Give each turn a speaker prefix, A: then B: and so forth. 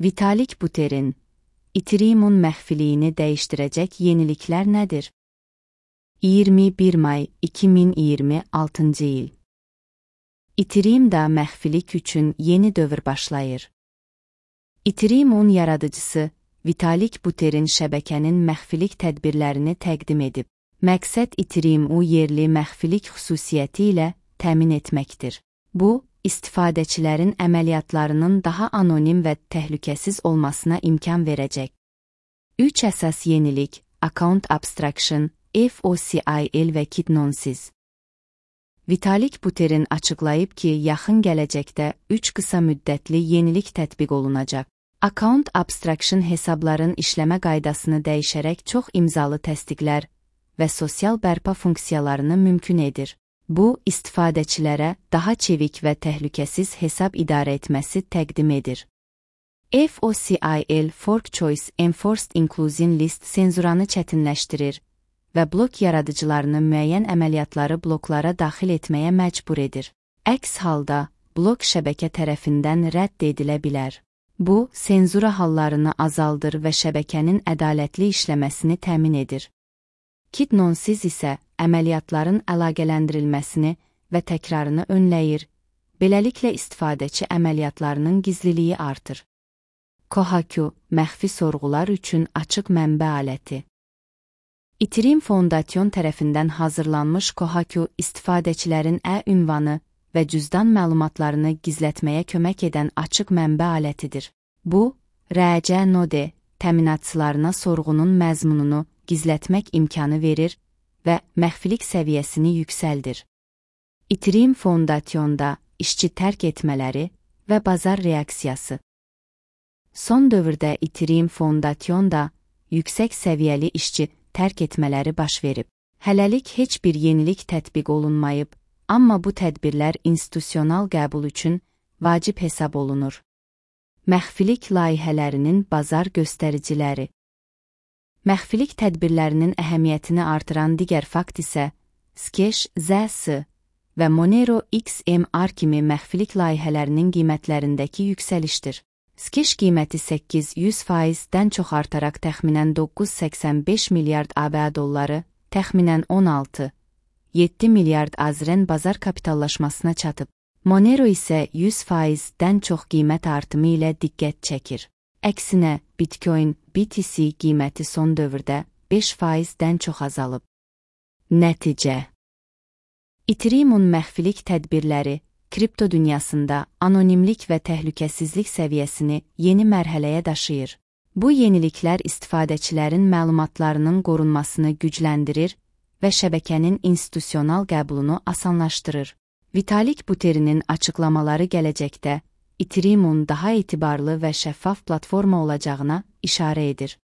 A: Vitalik Buterin, Ethereum-un məxfiliyini dəyişdirəcək yeniliklər nədir? 21 may 2026 il. Ethereum-da məxfilik üçün yeni dövr başlayır. Ethereum-un yaradıcısı Vitalik Buterin şəbəkənin məxfilik tədbirlərini təqdim edib. Məqsəd Ethereum-u yerli məxfilik xüsusiyyəti ilə təmin etməkdir. Bu, istifadəçilərin əməliyyatlarının daha anonim və təhlükəsiz olmasına imkan verəcək. 3 əsas yenilik: Account Abstraction, FOCIL və Kidnonsiz. Vitalik Buterin açıqlayıb ki, yaxın gələcəkdə 3 qısa müddətli yenilik tətbiq olunacaq. Account Abstraction hesabların işləmə qaydasını dəyişərək çox imzalı təsdiqlər və sosial bərpa funksiyalarını mümkün edir. Bu, istifadəçilərə daha çevik və təhlükəsiz hesab idarə etməsi təqdim edir. FOCIL Fork Choice Enforced Inclusion List senzuranı çətinləşdirir və blok yaradıcılarını müəyyən əməliyyatları bloklara daxil etməyə məcbur edir. Əks halda, blok şəbəkə tərəfindən rədd edilə bilər. Bu, senzura hallarını azaldır və şəbəkənin ədalətli işləməsini təmin edir. Kidnonsiz isə əməliyyatların əlaqələndirilməsini və təkrarını önləyir, beləliklə istifadəçi əməliyyatlarının gizliliyi artır. Kohaku, məxfi sorğular üçün açıq mənbə aləti. Ethereum Foundation tərəfindən hazırlanmış Kohaku istifadəçilərin ünvanı və cüzdan məlumatlarını gizlətməyə kömək edən açıq mənbə alətidir. Bu, RC node təminatçılarına sorğunun məzmununu gizlətmək imkanı verir və məxfilik səviyyəsini yüksəldir. Ethereum Foundation'da işçi tərk etmələri və bazar reaksiyası. Son dövrdə Ethereum Foundation'da yüksək səviyyəli işçi tərk etmələri baş verib. Hələlik heç bir yenilik tətbiq olunmayıb, amma bu tədbirlər institusional qəbul üçün vacib hesab olunur. Məxfilik layihələrinin bazar göstəriciləri. Məxfilik tədbirlərinin əhəmiyyətini artıran digər fakt isə Scash, ZS və Monero XMR kimi məxfilik layihələrinin qiymətlərindəki yüksəlişdir. Scash qiyməti 800%-dən çox artaraq təxminən 985 milyard ABA dolları, təxminən 16,7 milyard AZRN bazar kapitallaşmasına çatıb. Monero isə 100%-dən çox qiymət artımı ilə diqqət çəkir. Əksinə, Bitcoin, BTC qiyməti son dövrdə 5%-dən çox azalıb. Nəticə: Ethereum-un məxfilik tədbirləri kripto dünyasında anonimlik və təhlükəsizlik səviyyəsini yeni mərhələyə daşıyır. Bu yeniliklər istifadəçilərin məlumatlarının qorunmasını gücləndirir və şəbəkənin institusional qəbulunu asanlaşdırır. Vitalik Buterinin açıqlamaları gələcəkdə Ethereum-un daha etibarlı və şəffaf platforma olacağına işarə edir.